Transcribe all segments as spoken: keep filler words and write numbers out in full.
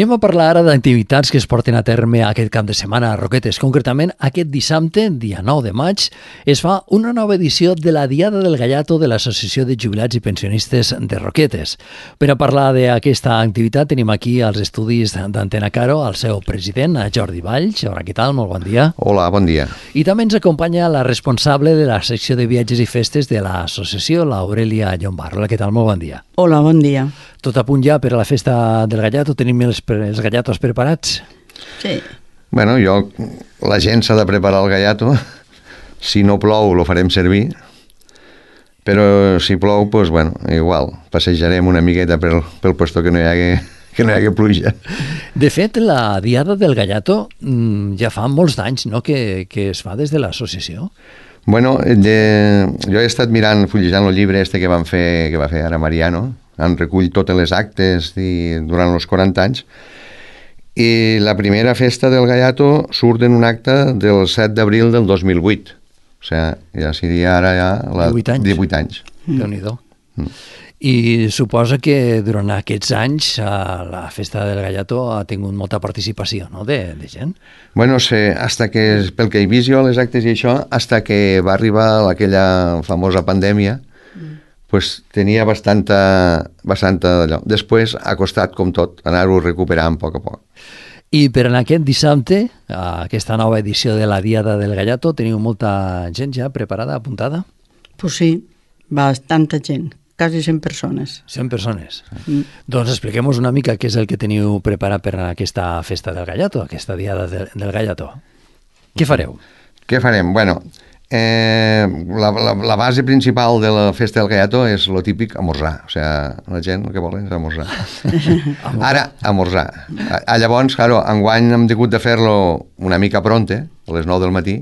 Anem a parlar ara d'activitats que es porten a terme aquest cap de setmana a Roquetes. Concretament, aquest dissabte, dia nou de maig, es fa una nova edició de la Diada del Gallato de l'Associació de Jubilats i Pensionistes de Roquetes. Per a parlar d'aquesta activitat tenim aquí als estudis d'Antena Caro el seu president, Jordi Valls. Hola, què tal? Molt bon dia. Hola, bon dia. I també ens acompanya la responsable de la secció de viatges i festes de l'associació, l'Aurelia Llombard. Hola, què tal? Molt bon dia. Hola, bon dia. Tot a punt ja per a la festa del Gallato? Tenim els, els gallatos preparats? Sí. Bueno, jo, la gent s'ha de preparar el gallato. Si no plou, lo farem servir. Però si plou, doncs, bueno, igual, passejarem una miqueta pel, pel puesto que no hi hagi, que no hi hagi pluja. De fet, la Diada del Gallato ja fa molts anys, no?, que, que es fa des de l'associació. Bueno, de, jo he estat mirant, fullejant el llibre este que van fer, que va fer ara Mariano. Han recull totes les actes i, durant els quaranta anys, i la primera festa del Gallato surt en un acte del set d'abril del dos mil vuit. O sigui, ja seria ara ja la, divuit anys. divuit anys. Mm. Déu-n'hi-do. Mm. I suposa que durant aquests anys la festa del Gallato ha tingut molta participació, no?, de, de gent. Bueno, sé, hasta que, pel que he vist jo, les actes i això, hasta que va arribar aquella famosa pandèmia, pues tenia bastanta, bastanta d'allò. Després ha costat, com tot, anar-ho recuperant a poc a poc. I per en aquest dissabte, aquesta nova edició de la Diada del Gallato, teniu molta gent ja preparada, apuntada? Pues sí, bastanta gent, quasi cent persones. cent persones. Mm. Doncs expliquem-nos una mica què és el que teniu preparat per a aquesta festa del Gallato, aquesta Diada del, del Gallato. Què fareu? Què farem? Bueno, Eh, la, la, la base principal de la festa del Gallato és lo típic, amorzar. O sigui, la gent el que vol és amorzar. Ara, amorzar. A, a llavors, claro, enguany hem hagut de fer-lo una mica pronte, a les nou del matí.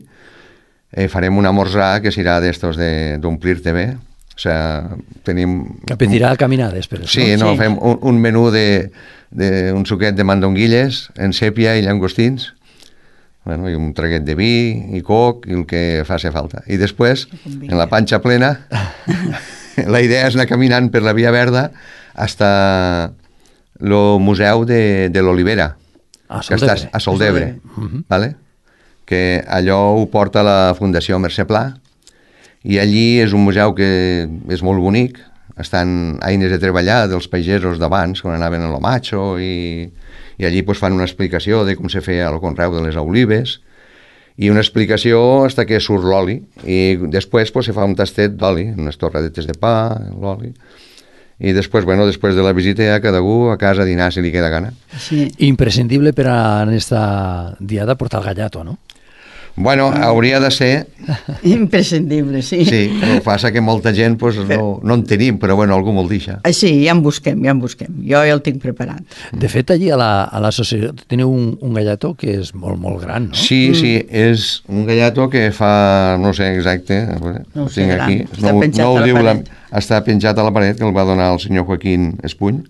Eh, farem un amorzar que serà d'estos d'omplir-te bé. O sigui, tenim... Que pedirà caminades, per això. Sí, no, sí. Fem un, un menú de, de un suquet de mandonguilles en sèpia i llangostins. Bueno, i un traguet de vi i coc i el que faci falta. I després, en la panxa plena, la idea és anar caminant per la Via Verda hasta el Museu de, de l'Olivera, a que està a Soldebre, uh-huh. ¿Vale? Que allò ho porta la Fundació Mercè Pla, i allí és un museu que és molt bonic, estan eines de treballar dels pagesos d'abans, quan anaven a lo macho, i... i allí pues, fan una explicació de com se feia el conreu de les olives i una explicació fins que surt l'oli i després pues, se fa un tastet d'oli, unes torradetes de pa, l'oli, i després, bueno, després de la visita ja cada un a casa a dinar si li queda gana. Sí. Imprescindible per a aquesta diada portar el gallato, no? Bueno, hauria de ser... Imprescindible, sí. Sí, el que passa que molta gent pues, no, no en tenim, però bueno, algú me'l deixa. Sí, ja en busquem, ja en busquem. Jo ja el tinc preparat. De fet, allí a l'associació la, teniu un, un gallato que és molt, molt gran, no? Sí, mm. sí, és un gallato que fa, no sé exacte, no ho tinc aquí. Està no, penjat no a la diu paret. La, està penjat a la paret, que el va donar el senyor Joaquín Espuny.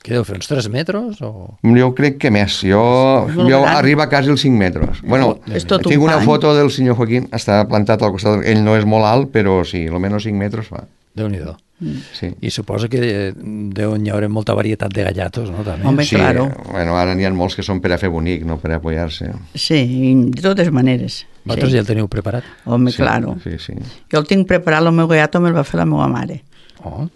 Què deu fer, uns tres metres? O... Jo crec que més. Jo, jo arriba quasi als cinc metres. Bueno, tinc una foto del senyor Joaquín, està plantat al costat. Ell no és molt alt, però sí, almenys cinc metres fa. Déu-n'hi-do. Mm. Sí. I suposo que deu hi haurà molta varietat de gallatos, no? També. Home, sí, claro. Bueno, ara n'hi ha molts que són per a fer bonic, no per a apoyar-se. Sí, de totes maneres. Vosaltres sí. ja el teniu preparat? Home, sí, claro. Sí, sí. Jo el tinc preparat, el meu gallato me'l va fer la meva mare. Oh.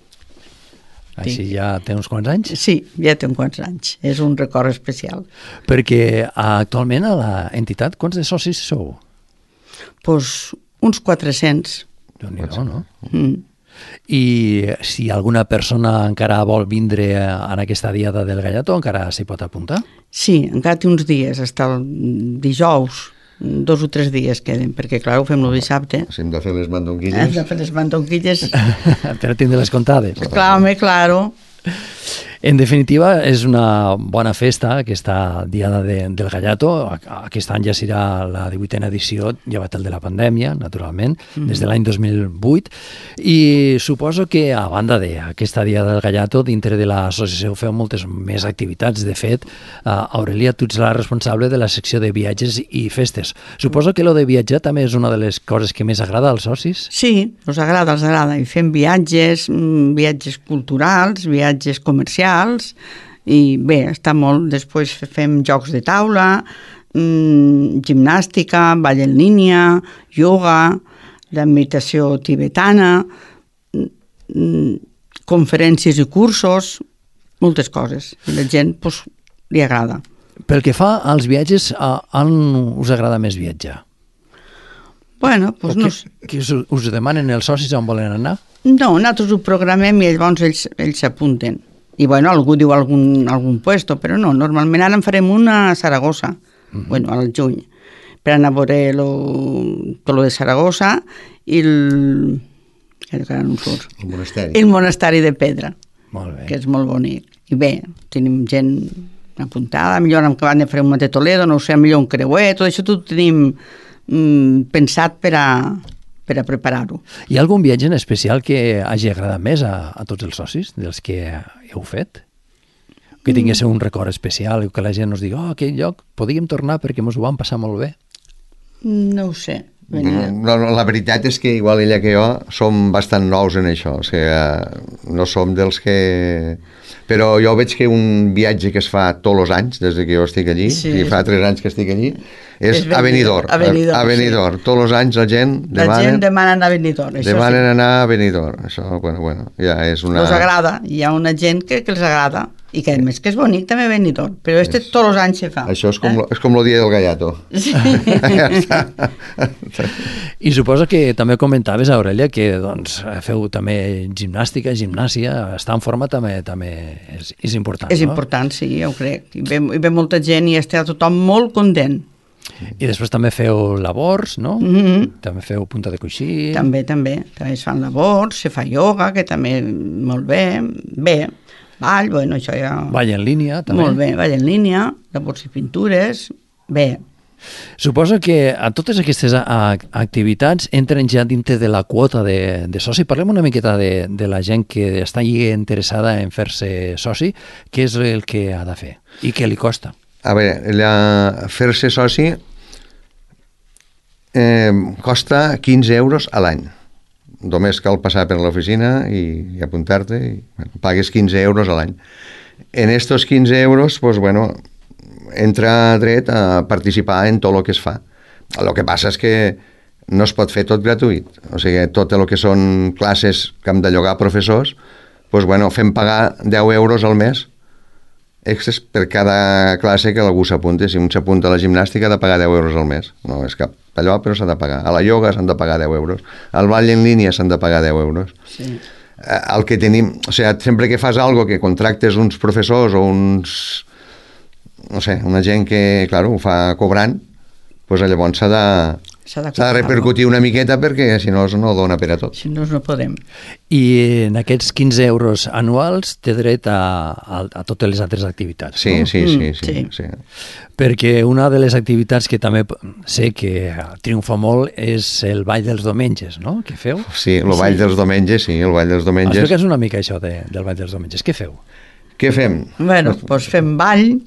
Així ja té uns quants anys? Sí, ja té uns quants anys. És un record especial. Perquè actualment a l'entitat, quants de socis sou? Doncs pues, uns quatre-cents. Déu-n'hi-do, no? Mm. I si alguna persona encara vol vindre en aquesta diada del Gallato, encara s'hi pot apuntar? Sí, encara té uns dies, fins el dijous. Dos o tres dies queden, perquè clar, ho fem el dissabte. Si hem de fer les mandonguilles. Hem de fer les mandonguilles. Per tindre les comptades. Clar, home, claro. En definitiva, és una bona festa, aquesta Diada de, del Gallato. Aquest any ja serà la divuitena edició, llevat el de la pandèmia, naturalment, mm-hmm. des de l'any dos mil vuit. I suposo que, a banda d'aquesta Diada del Gallato, dintre de l'associació feu moltes més activitats. De fet, Aurelia, tu ets la responsable de la secció de viatges i festes. Suposo que lo de viatjar també és una de les coses que més agrada als socis? Sí, els agrada, els agrada. I fem viatges, viatges culturals, viatges comercials, i bé, està molt. Després fem jocs de taula, mmm, gimnàstica, ball en línia, yoga, la meditació tibetana, mmm, conferències i cursos, moltes coses. I la gent pues, li agrada. Pel que fa als viatges, on us agrada més viatjar? Bueno, doncs no... Que us, us demanen els socis on volen anar? No, nosaltres ho programem i llavors ells ells s'apunten. I bueno, algú diu algun, algun puesto, però no, normalment ara en farem una a Saragossa, uh-huh. bueno, al juny, per anar a veure lo, tot lo de Saragossa i el... que ara no em surt. El monasteri. El monasteri de Pedra, molt bé. Que és molt bonic. I bé, tenim gent apuntada, millor hem acabat de fer un de Toledo, no ho sé, millor un creuer, tot això tot ho tenim pensat per a, per a preparar-ho. Hi ha algun viatge en especial que hagi agradat més a, a tots els socis dels que heu fet? Que tingués un record especial, que la gent us digui, oh, aquell lloc, podíem tornar perquè ens ho vam passar molt bé. No ho sé. No, no, la veritat és que igual ella que jo som bastant nous en això, o sigui, no som dels que... Però jo veig que un viatge que es fa tots els anys, des que jo estic allí, sí. i fa tres anys que estic allí, és, és a Benidorm. A Benidorm, a Benidorm. Sí. Tots els anys la gent demanen... La gent demana anar a Benidorm, això demanen sí. anar a Benidorm. Això, bueno, bueno, ja és una... Els agrada, hi ha una gent que, que els agrada, i que a més que és bonic també Benidorm, però este és... tots els anys se fa. Això és com, eh? lo, és com el dia del gallato. Sí. Ja està. I suposo que també comentaves, Aurelia, que doncs, feu també gimnàstica, gimnàsia, estar en forma també també és, és important, és no? important, sí, ja ho crec. I ve, i ve molta gent i està tothom molt content. I després també feu labors, no? Mm-hmm. També feu punta de coixí. També, també. També es fan labors, se fa ioga, que també molt bé. Bé, ball, bueno, això ja... Ball en línia, també. Molt bé, ball en línia, labors i pintures, bé. Suposo que a totes aquestes activitats entren ja dintre de la quota de, de soci. Parlem una miqueta de, de la gent que està interessada en fer-se soci. Què és el que ha de fer i què li costa? A veure, la, fer-se soci eh, costa quinze euros a l'any. Només cal passar per l'oficina i, i apuntar-te i bueno, pagues quinze euros a l'any. En estos quinze euros, pues, bueno, entra dret a participar en tot el que es fa. El que passa és que no es pot fer tot gratuït. O sigui, tot el que són classes que hem de llogar professors, pues, bueno, fem pagar deu euros al mes extras per cada classe que algú s'apunti. Si un s'apunta a la gimnàstica ha de pagar deu euros al mes. No és cap allò, però s'ha de pagar. A la ioga s'han de pagar deu euros. Al ball en línia s'han de pagar deu euros. Sí. El que tenim... O sigui, sempre que fas alguna cosa, que contractes uns professors o uns... no sé, una gent que, clar, ho fa cobrant, doncs llavors s'ha de, s'ha de, s'ha de repercutir una miqueta perquè si no no dona per a tot. Si no, no podem. I en aquests quinze euros anuals té dret a, a, a totes les altres activitats, sí, no? Sí, sí, sí, sí. sí. Perquè una de les activitats que també sé que triomfa molt és el ball dels diumenges, no?, que feu? Sí, el ball sí. dels diumenges, sí, el ball dels diumenges. Explica'ns una mica això de, del ball dels diumenges. Què feu? Què fem? Bueno, doncs fem ball,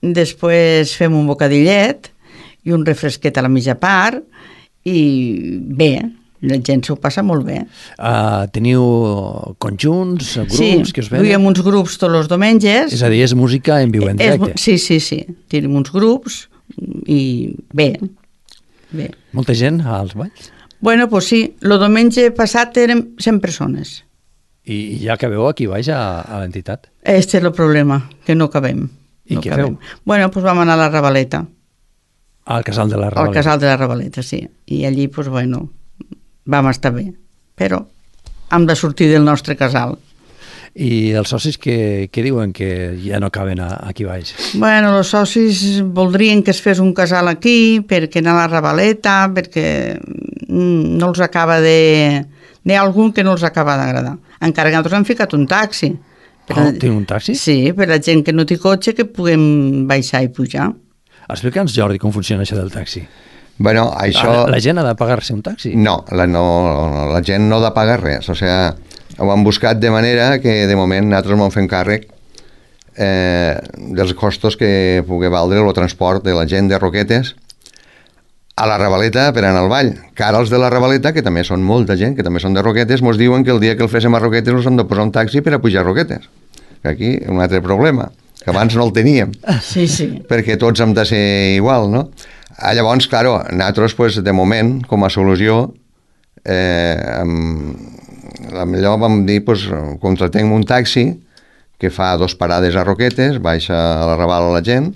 després fem un bocadillet i un refresquet a la mitja part i bé, la gent s'ho passa molt bé. Uh, teniu conjunts, grups sí, que us venen? Sí, duiem uns grups tots els diumenges. És a dir, és música en viu en directe. És, sí, sí, sí, tenim uns grups i bé, bé. Molta gent als balls? Bueno, doncs sí, el diumenge passat érem cent persones. I ja acabeu aquí baix a, a l'entitat? Este és el problema, que no cabem. I no què cabem. feu? Bueno, doncs vam anar a la Ravaleta. Al casal de la Ravaleta. Al casal de la Ravaleta, sí. I allí, doncs, bueno, vam estar bé. Però hem de sortir del nostre casal. I els socis que, que diuen que ja no caben a, aquí baix? Bueno, els socis voldrien que es fes un casal aquí, perquè anar a la Ravaleta, perquè no els acaba de... N'hi ha algun que no els acaba d'agradar. Encara que nosaltres hem ficat un taxi. Oh, teniu un taxi? Sí, per la gent que no té cotxe que puguem baixar i pujar. Explica'ns, Jordi, com funciona això del taxi. Bueno, això... La, la gent ha de pagar-se un taxi? No la, no, la gent no ha de pagar res. O sigui, ho han buscat de manera que de moment nosaltres m'ho fem càrrec eh, dels costos que pugui valdre el transport de la gent de Roquetes a la Ravaleta per anar al ball. Que ara els de la Ravaleta, que també són molta gent, que també són de Roquetes, mos diuen que el dia que el féssim a Roquetes us hem de posar un taxi per a pujar a Roquetes. Que aquí un altre problema. que abans no el teníem. Sí, sí. Perquè tots hem de ser igual, no? Ah, llavors, claro, nosaltres, pues, de moment, com a solució, eh, amb, la millor vam dir, pues, contratem un taxi que fa dos parades a Roquetes, baixa a la Raval a la gent,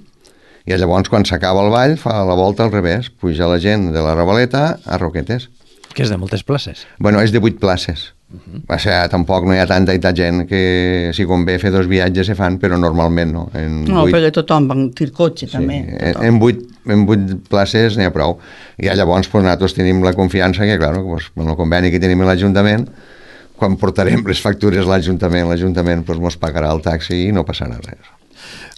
i llavors, quan s'acaba el ball, fa la volta al revés, puja la gent de la Ravaleta a Roquetes. Que és de moltes places. Bueno, és de vuit places. Uh-huh. O sigui, tampoc no hi ha tanta i tanta gent que, si convé fer dos viatges, se fan, però normalment no. En no, vuit... perquè tothom va tir cotxe, sí, també. En, en, vuit, en vuit places n'hi ha prou. I llavors, pues, nosaltres tenim la confiança que, clar, pues, en el conveni que tenim a l'Ajuntament, quan portarem les factures a l'Ajuntament, l'Ajuntament pues, mos pagarà el taxi i no passarà res.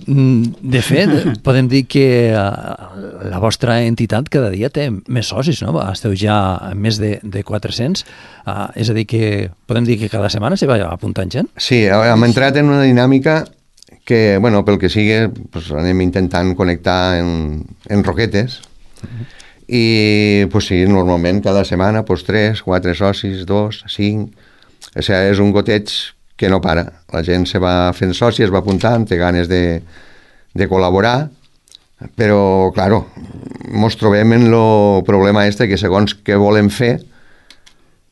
De fet, podem dir que la vostra entitat cada dia té més socis, no? Esteu ja a més de, de quatre-cents, uh, és a dir que podem dir que cada setmana se va apuntant gent? Sí, hem entrat en una dinàmica que, bueno, pel que sigui, pues, anem intentant connectar en, en Roquetes, uh-huh. I pues, sí, normalment cada setmana pues, tres, quatre socis, dos, cinc, o sigui, és un goteig que no para. La gent se va fent soci, es va apuntant, té ganes de, de col·laborar, però, claro, mos trobem en el problema este que segons què volem fer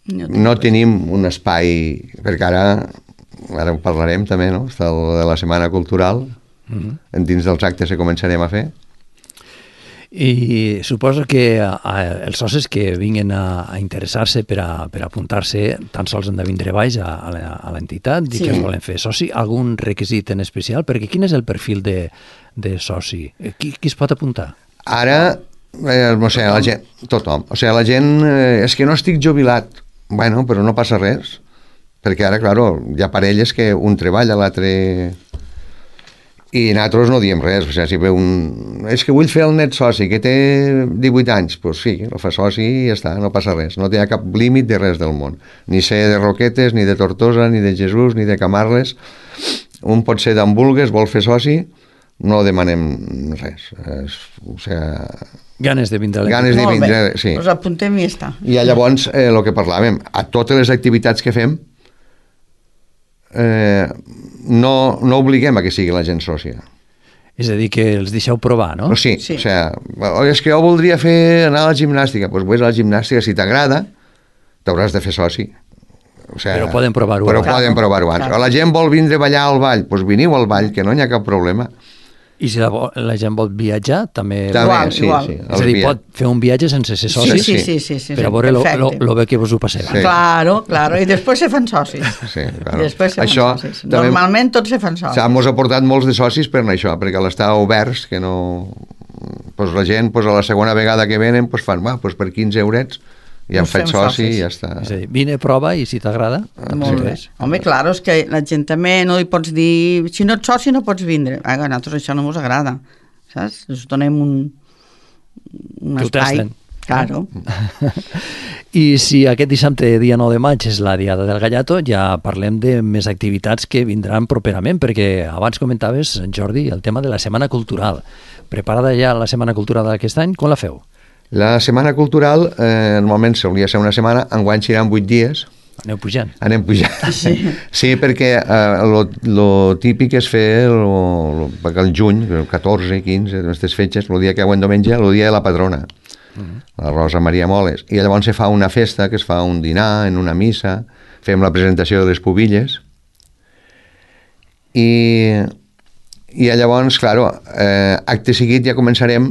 no, no tenim un espai, perquè ara, ara ho parlarem també, no? Està el de la Setmana Cultural, uh-huh. Dins dels actes que començarem a fer. I suposo que a, a, els socis que vinguin a, a interessar-se per a, per a apuntar-se tan sols han de vindre baix a, a l'entitat, dir sí. Que es volen fer soci, algun requisit en especial, perquè quin és el perfil de, de soci? Qui, qui es pot apuntar? Ara, eh, o sigui, la gent, tothom, o sigui, la gent, eh, és que no estic jubilat, bueno, però no passa res, perquè ara, claro, hi ha parelles que un treballa, l'altre... I nosaltres no diem res, o sigui, si ve un... És que vull fer el net soci, que té divuit anys, doncs pues sí, el fa soci i ja està, no passa res, no té cap límit de res del món, ni ser de Roquetes, ni de Tortosa, ni de Jesús, ni de Camarles, un pot ser d'on vulgues, vol fer soci, no demanem res, és, o sigui... Ganes de vindre. Ganes de vindre, sí. Us apuntem i ja està. I llavors, eh, el que parlàvem, a totes les activitats que fem, eh, no, no obliguem a que sigui la gent sòcia. És a dir, que els deixeu provar, no? O sí, sí. O sigui, és que jo voldria fer anar a la gimnàstica, doncs vés a la gimnàstica, si t'agrada, t'hauràs de fer soci. O sigui, però poden provar-ho però abans. Però poden provar-ho abans. Claro. La gent vol vindre a ballar al ball, doncs veniu al ball, que no hi ha cap problema. I si la, la gent vol viatjar, també... També, igual, sí, igual. Sí. És a dir, pot fer un viatge sense ser soci, sí, sí, sí, sí, sí, per a veure el bé que vos ho passeu. Sí. Claro, claro, i després se fan socis. Sí, claro. I després se això, fan socis. Normalment tots se fan socis. Ens ha portat molts de socis per això, perquè l'estar oberts, que no... Pues la gent, pues a la segona vegada que venen, pues fan, va, pues per quinze eurets i hem fet soci i ja està. És a dir, vine, prova i si t'agrada... Molt bé. Home, clar, és que la gent també no li pots dir si no ets soci no pots vindre. A nosaltres això no ens agrada, saps? Us donem un, un espai. Claro. I si aquest dissabte, dia nou de maig, és la Diada del Gallato, ja parlem de més activitats que vindran properament, perquè abans comentaves, Jordi, el tema de la Setmana Cultural. Preparada ja la Setmana Cultural d'aquest any, com la feu? La Setmana Cultural, eh, normalment s'hauria de ser una setmana, enguany seran vuit dies. Aneu pujant. Anem pujant. Sí, sí perquè eh, lo, lo típic és fer lo, lo, el juny, el catorze, quinze, aquestes fetges, el dia que ho en diumenge, el dia de la patrona, uh-huh. La Rosa Maria Moles. I llavors se fa una festa, que es fa un dinar, en una missa, fem la presentació de les pubilles, i, i llavors, claro, eh, acte seguit ja començarem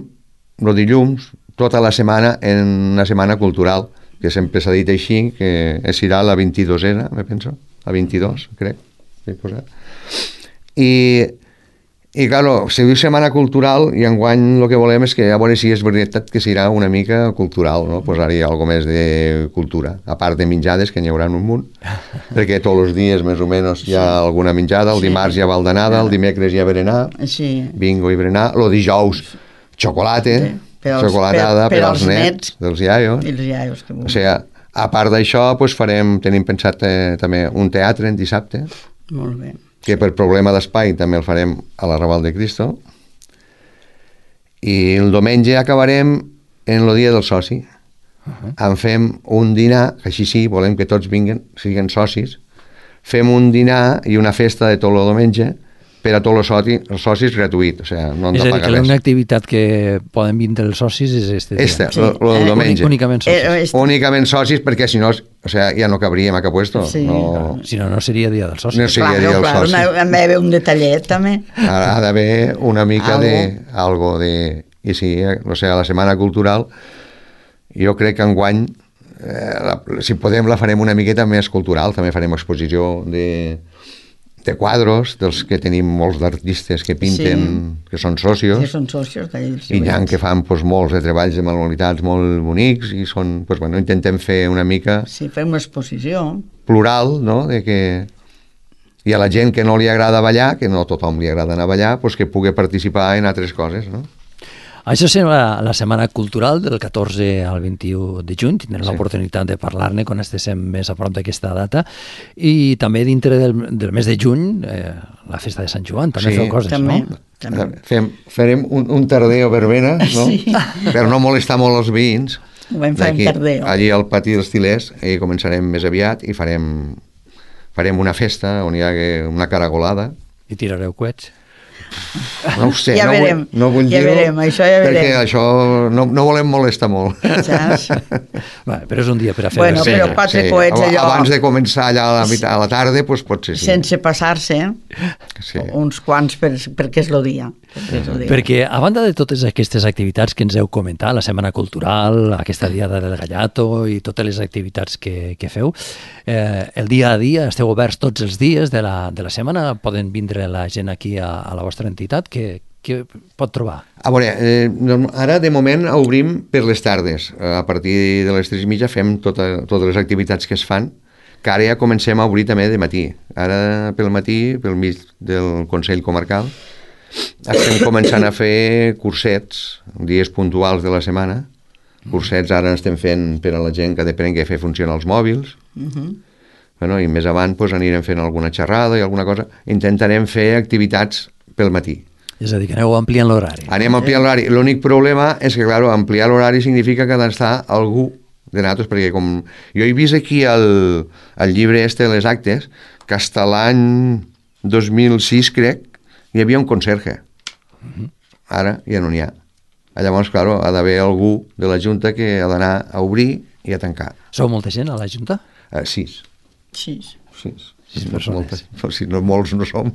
el dilluns, tota la setmana en una setmana cultural, que sempre s'ha dit així, que serà la vint-i-dosena, me penso, la vint-i-dos, crec, he posat. I, i claro, se diu setmana cultural, i enguany el que volem és que a veure si és veritat que serà una mica cultural, no? Posar-hi alguna més de cultura, a part de menjades, que n'hi haurà un munt, perquè tots els dies més o menys hi ha alguna menjada, el dimarts hi ha baldanada, el dimecres hi ha berenar, bingo i berenar, el dijous xocolate, sí. Per als, xocolatada per, per, per als nets, nets dels iaios. I els iaios que o sigui, a part d'això, pues, farem, tenim pensat eh, també un teatre en dissabte. Molt bé. Que per problema d'espai també el farem a la Raval de Cristo. I el diumenge acabarem en el dia del soci. Uh-huh. En fem un dinar, que així sí, volem que tots vinguen, siguin socis. Fem un dinar i una festa de tot el diumenge per a tots els socis, els socis gratuït, o sigui, no han és de a dir, pagar que res. l'única activitat que poden vindre els socis és este dia. Este, Sí. el Eh, diumenge. Únicament socis. Eh, este. Únicament socis, perquè si no, o sea, ja no cabríem a cap puesto. Sí. No, Si no, no seria dia dels socis. No seria Claro, dia dels claro, socis. ha d'haver un detallet també. ha, ha d'haver una mica Algo. de... Algo de... I sí, eh, o sigui, la Setmana Cultural, jo crec que enguany, eh, la, si podem, la farem una miqueta més cultural. També farem exposició de, de quadros, dels que tenim molts d'artistes que pinten, sí. que són socios, Sí, són socios d'ells. i hi ha que fan pues, molts de treballs de manualitats molt bonics, i són, pues, bueno, intentem fer una mica Sí, fem una exposició. plural, no?, de que i a la gent que no li agrada ballar, que no a tothom li agrada anar a ballar, pues que pugui participar en altres coses, no? Això serà la Setmana Cultural del catorze al vint-i-u de juny. Tindrem sí. l'oportunitat de parlar-ne quan estiguem més a prop d'aquesta data. I també dintre del, del mes de juny, eh, la festa de Sant Joan, també Sí, feu coses, també. no? També. Fem, farem un, un tardeo verbena, no? Sí. Per no molestar molt els veïns. Ho vam fer en D'aquí, tardeo. allí al pati dels Tilers, i començarem més aviat i farem, farem una festa on hi ha una caragolada. I tirareu coets. No ho sé, Ja no, verem, vull, no vull ja dir-ho, verem, això ja perquè verem. això no, no volem molestar molt. Saps? Va, però és un dia per a fer... Bueno, sí. però quatre coets allò- Abans de començar allà a la, mitad, a la tarda, doncs potser sí. Sense passar-se, Sí. uns quants per, perquè és el dia. Perquè, és el dia. Perquè, a banda de totes aquestes activitats que ens heu comentat, la Setmana Cultural, aquesta diada del Gallato i totes les activitats que, que feu, eh, el dia a dia, esteu oberts tots els dies de la, de la setmana, poden vindre la gent aquí a, a la vostra entitat, que, que pot trobar? A veure, eh, norm- ara de moment obrim per les tardes. A partir de les tres i mitja fem tota, totes les activitats que es fan, que ara ja comencem a obrir també de matí. Ara pel matí, pel mig del Consell Comarcal, estem començant a fer cursets, dies puntuals de la setmana. Cursets ara estem fent per a la gent que depèn que fer funcionar els mòbils. Mhm. Bueno, i més avant pues, anirem fent alguna xerrada i alguna cosa. Intentarem fer activitats pel matí. És a dir, que aneu ampliant l'horari. Anem ampliant l'horari. L'únic problema és que, clar, ampliar l'horari significa que ha d'estar algú de nosaltres, perquè com jo he vist aquí el, el llibre este de les actes, que fins l'any dos mil sis, crec, hi havia un conserge. Ara ja no n'hi ha. Llavors, clar, ha d'haver algú de la Junta que ha d'anar a obrir i a tancar. Sou molta gent a la Junta? Uh, sis. Sí. Sis. Sis No, persones. moltes, però si no molts no som.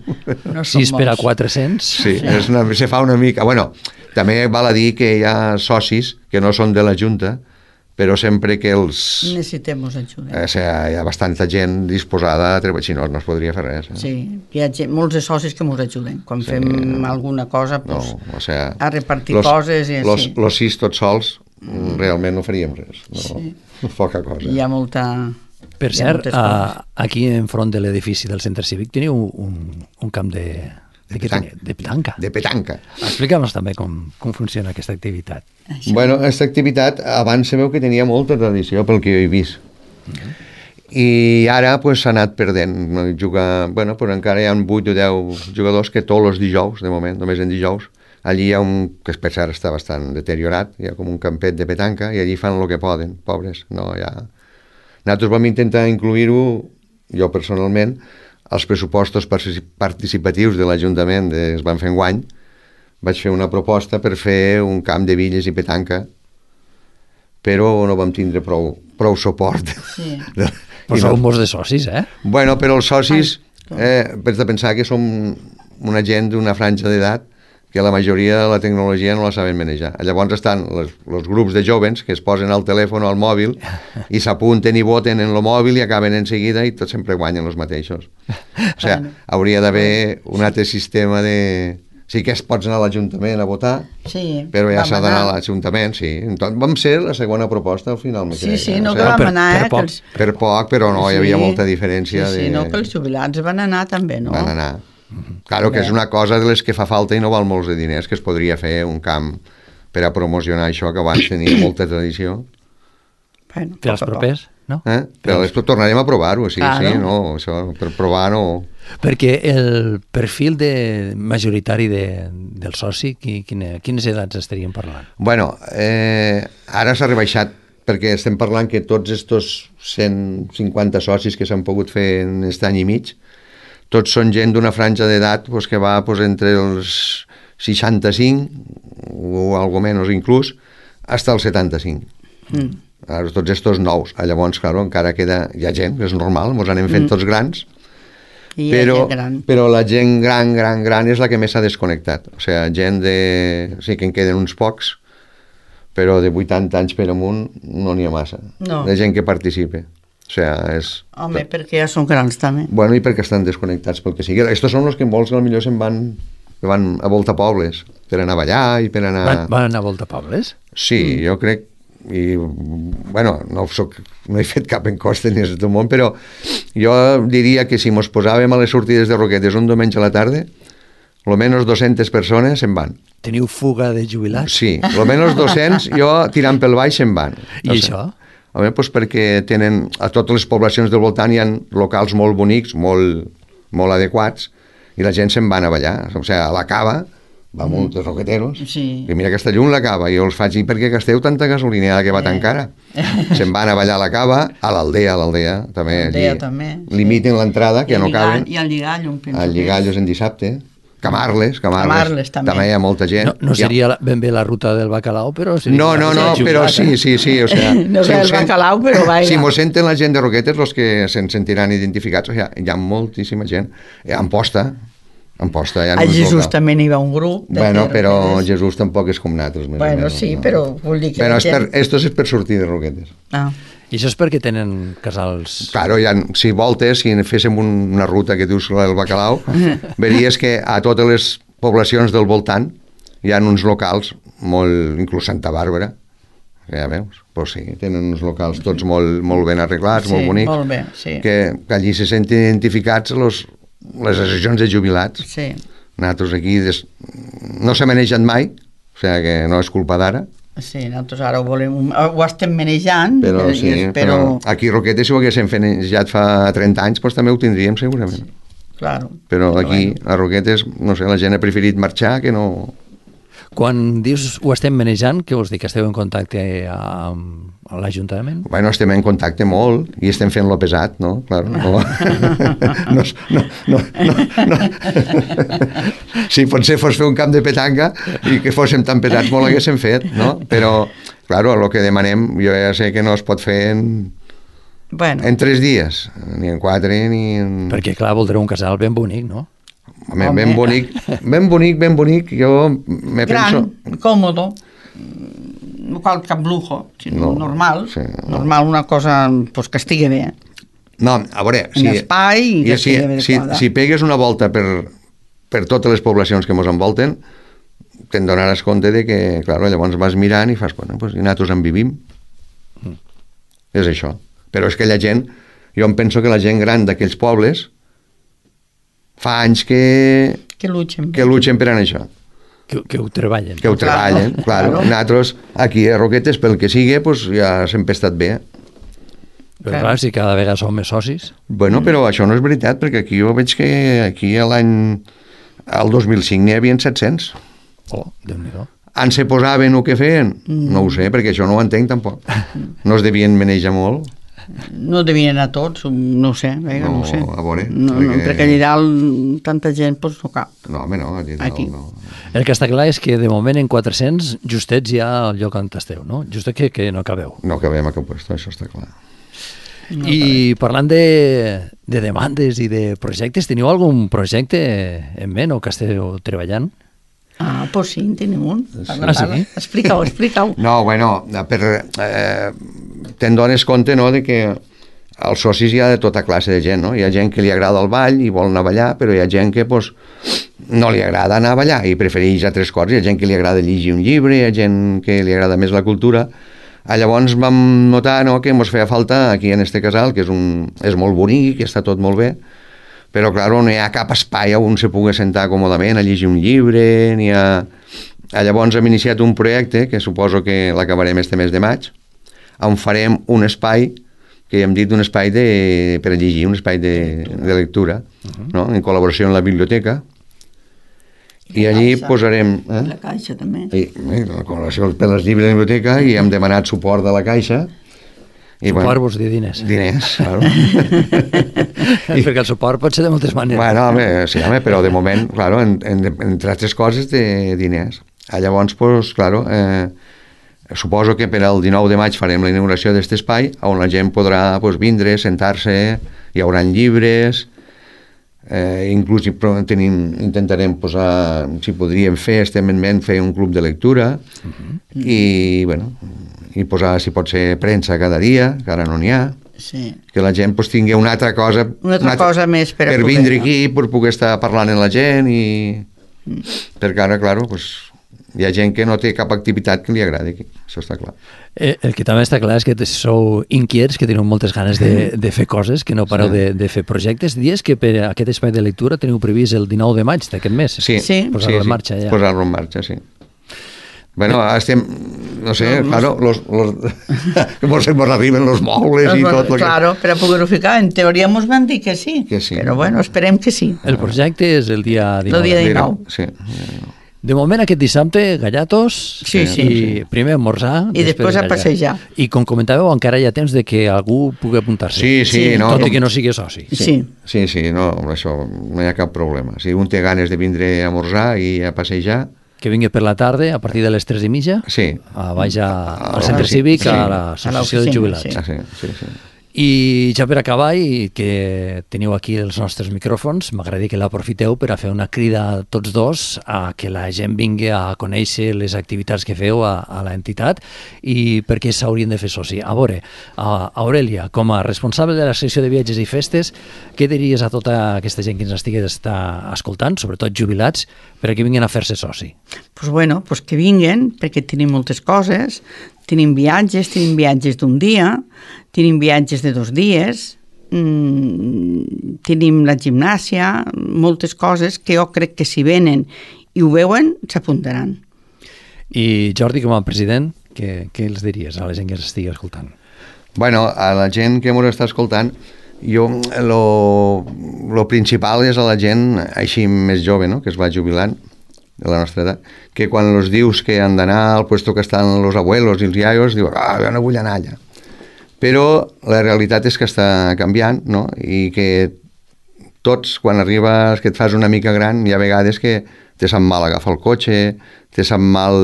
No som sis per a molts. quatre-cents? Sí, és una, se fa una mica... Bueno, també val a dir que hi ha socis que no són de la Junta, però sempre que els... Necessitem ajuda. Eh, o sigui, hi ha bastanta gent disposada a treballar, si no, no es podria fer res. Eh? Sí, hi ha gent, molts de socis que ens ajuden. Quan Sí. fem alguna cosa, No, pues, o sigui, a repartir coses i los, així. los sis tots sols, mm. realment no faríem res. No, Sí. Poca cosa. Hi ha molta... Per hi ha cert, moltes a, coses. aquí enfront de l'edifici del centre cívic teniu un, un camp de, de, què petanca. teniu? De petanca. De petanca. Explica'm-nos també com, com funciona aquesta activitat. Això. Bueno, aquesta activitat abans sabeu que tenia molta tradició pel que jo he vist. I ara pues, s'ha anat perdent. Juga, bueno, però encara hi ha vuit o deu jugadors que tots els dijous, de moment, només en dijous, allí hi ha un, que per cert està bastant deteriorat, hi ha com un campet de petanca i allí fan el que poden, pobres. No, ja... Nosaltres vam intentar incluir-ho, jo personalment, als pressupostos participatius de l'Ajuntament que es van fer enguany. Vaig fer una proposta per fer un camp de billes i petanca, però no vam tindre prou, prou suport. Sí. Però sou molts de socis, eh? Bueno, però els socis, eh, has de pensar que som una gent d'una franja d'edat que la majoria de la tecnologia no la saben manejar. Llavors estan els grups de jovens que es posen al telèfon o al mòbil i s'apunten i voten en el mòbil i acaben en seguida i tots sempre guanyen els mateixos. O sigui, hauria d'haver un altre sistema de... Sí que es pots anar a l'Ajuntament a votar, Sí, però ja vam s'ha d'anar a anar. l'Ajuntament, sí. Entonces, vam ser la segona proposta al final, me Sí, crec. sí, eh? no O que sigui, vam per- anar, per eh? poc. Que els... per poc, però no, hi havia molta diferència. Sí, sí, de... no, que els jubilats van anar també, no? Van anar. Claro que és una cosa de les que fa falta i no val molts de diners, que es podria fer un camp per a promocionar això, que abans tenia molta tradició. Bueno, Per als poc a poc. propers, no? Eh? Però després tornarem a provar-ho, sí, Claro. sí, no, això, per provar no... Perquè el perfil de, majoritari de, del soci, qui, quine, quines edats estaríem parlant? Bueno, eh, ara s'ha rebaixat, perquè estem parlant que tots estos cent cinquanta socis que s'han pogut fer en aquest any i mig, tots són gent d'una franja d'edat pues, que va pues, entre els seixanta-cinc o algo menys inclús, fins als setanta-cinc. Mm. Ara, tots estos nous. Llavors, clar, encara queda... Hi ha gent, és normal, ens anem fent mm. tots grans, I però, gran. però la gent gran, gran, gran és la que més s'ha desconnectat. O sigui, gent de... Sí que en queden uns pocs, però de vuitanta anys per amunt no n'hi ha massa. No. De gent que participe. O sigui, és... Home, perquè ja són grans també. Bueno, i perquè estan desconnectats pel que sigui. Estos són els que molts potser se'n van, que van a volta pobles, per anar a ballar i per anar... Van, van anar a volta pobles? Sí, mm. jo crec... I, bueno, no, soc, no he fet cap encosta ni res del món, però jo diria que si mos posàvem a les sortides de Roquetes un diumenge a la tarda, almenys dues-centes persones se'n van. Teniu fuga de jubilats? Sí, almenys dos-cents, jo tirant pel baix se'n van. I no això? Home, doncs perquè tenen, a totes les poblacions del voltant hi ha locals molt bonics, molt, molt adequats, i la gent se'n van a ballar. O sigui, a la cava va mm. molts roqueteros, sí. i mira aquesta llum la cava, i jo els faig, i per què gasteu tanta gasolina ara que va tan cara? Se'n van a ballar a la cava, a l'aldea, a l'aldea, també, Aldea, allí, també, sí. limiten l'entrada, que no caben. I al Lligallo, em penso. Al Lligallo és en dissabte. Camarles, Camarles, Camarles també. també hi ha molta gent. No, no seria la, ben bé la ruta del bacalao, però... Seria no, no, no, però sí, sí, sí. O sea, no si sé el bacalao, però vaja. Si mos senten la gent de Roquetes, els que se'n sentiran identificats, o sea, hi ha moltíssima gent. A Amposta, Amposta, hi ha a Jesús també n'hi va un grup. Bueno, però Jesús tampoc és com nosaltres. Més bueno, o menys, sí, no? Però vull dir que... Però és gent... per, esto és per sortir de Roquetes. Ah. I això és perquè tenen casals... Claro, ha, si voltes, si féssim un, una ruta que dius el bacalao, veiries que a totes les poblacions del voltant hi ha uns locals molt... inclús Santa Bàrbara, ja veus? Pues sí, tenen uns locals tots molt, molt ben arreglats, sí, molt bonics, molt bé, sí. que, que allí se senten identificats los, les associacions de jubilats. Sí. Nosaltres aquí des... no s'ha manejat mai, o sigui que no és culpa d'ara. Sí, nosaltres ara ho volem, ho estem manejant, però, sí, però... però aquí Roquetes, si ho haguéssim manejat fa trenta anys, doncs també ho tindríem segurament. Sí, claro. Però, però aquí, bueno. a Roquetes, no sé, la gent ha preferit marxar que no... Quan dius ho estem manejant, què vols dir? Que esteu en contacte amb, amb l'Ajuntament? Bueno, estem en contacte molt i estem fent lo pesat, no? Claro, no. no, no, no, no, no. Si potser fos fer un camp de petanca i que fóssim tan pesats molt haguéssim fet, no? Però, claro, el que demanem jo ja sé que no es pot fer en... Bueno. En tres dies, ni en quatre, ni en... Perquè, clar, voldreu un casal ben bonic, no? Home, ben bonic, ben bonic, ben bonic, jo me gran, penso... còmodo, no cal cap lujo, sinó no, normal, sí, no. normal, una cosa pues, que estigui bé. No, a veure... En si, espai i que si, estigui bé si, si pegues una volta per, per totes les poblacions que ens envolten, te'n donaràs compte de que, clar, llavors vas mirant i fas, bueno, pues, i nosaltres en vivim. Mm. És això. Però és que la gent, jo em penso que la gent gran d'aquells pobles fa anys que... Que luchen. Que luchen per anar això. Que, que ho treballen. Que ho treballen, claro. claro. Nosaltres, aquí a Roquetes, pel que sigui, pues, ja sempre he estat bé. Però clar, clar si cada vegada som més socis... Bueno, però això no és veritat, perquè aquí jo veig que aquí l'any... el dos mil cinc n'hi havia set-cents. Oh, Déu-n'hi-do. En se posaven o què feien? Mm. No ho sé, perquè això no ho entenc tampoc. No es devien manejar molt. No devien anar tots, no ho sé, vinga, no, no ho sé. A veure, no, perquè... no, perquè allà dalt tanta gent doncs no cap. No, home, no, allà dalt Aquí. no. El que està clar és que de moment en quatre-cents justets hi ha el lloc on esteu, no? Justet que, que no cabeu. No cabem a cap puesto, això està clar. No, I parlant de, de demandes i de projectes, teniu algun projecte en ment o que esteu treballant? Ah, doncs sí, en tenim un. Parla, Ah, sí? parla. Explica-ho, explica-ho. No, bueno, per, eh, te'n dones compte, no?, de que als socis hi ha de tota classe de gent, no? Hi ha gent que li agrada el ball i vol anar a ballar, però hi ha gent que, pues, no li agrada anar a ballar i prefereix altres coses. Hi ha gent que li agrada llegir un llibre, hi ha gent que li agrada més la cultura. Ah, llavors vam notar, no?, que ens feia falta aquí en este casal, que és, un, és molt bonic, està tot molt bé, però, clar, no hi ha cap espai on se pugui sentar còmodament a llegir un llibre, ni a... Llavors hem iniciat un projecte, que suposo que l'acabarem este mes de maig, on farem un espai, que hem dit un espai de, per a llegir, un espai de, de lectura, uh-huh. no?, en col·laboració amb la biblioteca, i, i allí caixa. Posarem... Eh? La caixa, també. I, eh, la col·laboració per les llibres de la biblioteca, i hem demanat suport de la caixa, I suport bueno, vols dir diners. Diners, claro. I... Perquè el suport pot ser de moltes maneres. Bueno, home, sí, home, però de moment, claro, en, en, entre altres coses, de diners. Ah, llavors, pues, claro, eh, suposo que per al dinou de maig farem la inauguració d'aquest espai on la gent podrà pues, vindre, sentar-se, hi haurà llibres, eh, inclús tenim, intentarem posar, si podríem fer, estem en ment fer un club de lectura, uh-huh. i, bueno, i posar, si pot ser, premsa cada dia, que ara no n'hi ha, sí. Que la gent pues, tingui una altra cosa, una altra una altra, cosa més per, per vindre aquí, per poder estar parlant amb la gent, i mm. perquè ara, claro, pues, hi ha gent que no té cap activitat que li agradi aquí, això està clar. Eh, el que també està clar és que sou inquiets, que teniu moltes ganes de, de fer coses, que no pareu sí. de, de fer projectes. Dies que per aquest espai de lectura teniu previst el dinou de maig d'aquest mes. Sí, sí. Posar-lo sí, en marxa ja. Posar-lo en marxa, sí. Bueno, estem, no sé, no, claro, los, los, nos, nos arriben los mobles i tot. Claro, que... per a poder-ho ficar, en teoria ens van dir que sí, que sí, però bueno, esperem que sí. El projecte és el dia dinou. El dia dinou. Sí. De moment, aquest dissabte, gallatos, sí, sí, i sí. primer esmorzar, i després, després a passejar. I com comentàveu, encara hi ha temps de que algú pugui apuntar-se. Sí, sí, sí, no. Tot i que no sigui soci. Sí, sí, sí, sí no, això no hi ha cap problema. Si un té ganes de vindre a esmorzar i a passejar, que vingui per la tarda, a partir de les tres i mitja, sí. a baix a, al centre cívic, sí. a l'associació de jubilats. Sí. Ah, sí, sí, sí. I ja per acabar, i que teniu aquí els nostres micròfons, m'agradaria que l'aprofiteu per a fer una crida a tots dos a que la gent vingui a conèixer les activitats que feu a, a l'entitat i per què s'haurien de fer soci. A veure, a Aurelia, com a responsable de la secció de viatges i festes, què diries a tota aquesta gent que ens estigui escoltant, sobretot jubilats, per a que vinguin a fer-se soci? Pues bueno, pues que vinguen, perquè tenim moltes coses. Tenim viatges, tenim viatges d'un dia, tenim viatges de dos dies, mmm, tenim la gimnàsia, moltes coses que jo crec que si venen i ho veuen, s'apuntaran. I Jordi, com a president, què, què els diries a la gent que ens estigui escoltant? Bueno, a la gent que ens està escoltant, jo lo, lo principal és a la gent així més jove, no?, que es va jubilant, de la nostra edat, que quan els dius que han d'anar al puesto que estan els abuelos i els iaios, diu, ah, jo no vull anar allà. Però la realitat és que està canviant, no?, i que tots, quan arribes, que et fas una mica gran, hi ha vegades que te sap mal agafar el cotxe, te sap mal,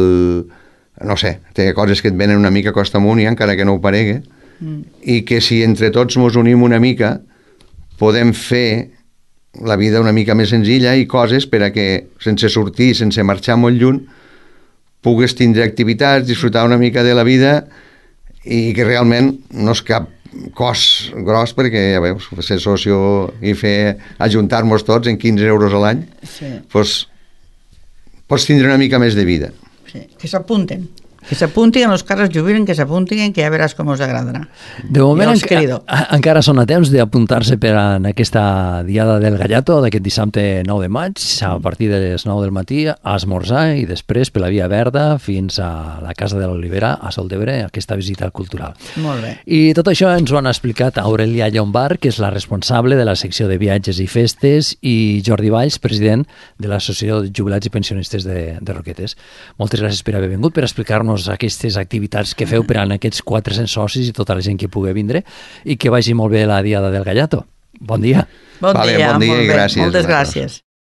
no sé, té coses que et venen una mica costa amunt i encara que no ho paregui, mm. i que si entre tots mos unim una mica, podem fer la vida una mica més senzilla i coses per a que, sense sortir, sense marxar molt lluny, pugues tindre activitats, disfrutar una mica de la vida i que realment no és cap cost gros perquè, ja veus, ser socio i fer ajuntar-nos tots en quinze euros a l'any, sí. Pues, pots tindre una mica més de vida. Sí. Que s'apunten. Que s'apuntin, els que es jubilen, que s'apuntin, que ja veràs com us agradarà. De moment enca encara són a temps d'apuntar-se per en aquesta diada del Gallato d'aquest dissabte nou de maig, a partir de les nou del matí, a esmorzar i després per la Via Verda fins a la Casa de l'Olivera, a Sol d'Ebre, aquesta visita cultural. Molt bé. I tot això ens ho han explicat Aurelia Llombart, que és la responsable de la secció de viatges i festes, i Jordi Valls, president de l'Associació de Jubilats i Pensionistes de, de Roquetes. Moltes gràcies per haver vingut, per explicar-nos aquestes activitats que feu per a aquests quatre-cents socis i tota la gent que pugui vindre i que vagi molt bé la diada del Gallato. Bon dia. Bon vale, dia, bon dia molt i bé. gràcies. Moltes gràcies.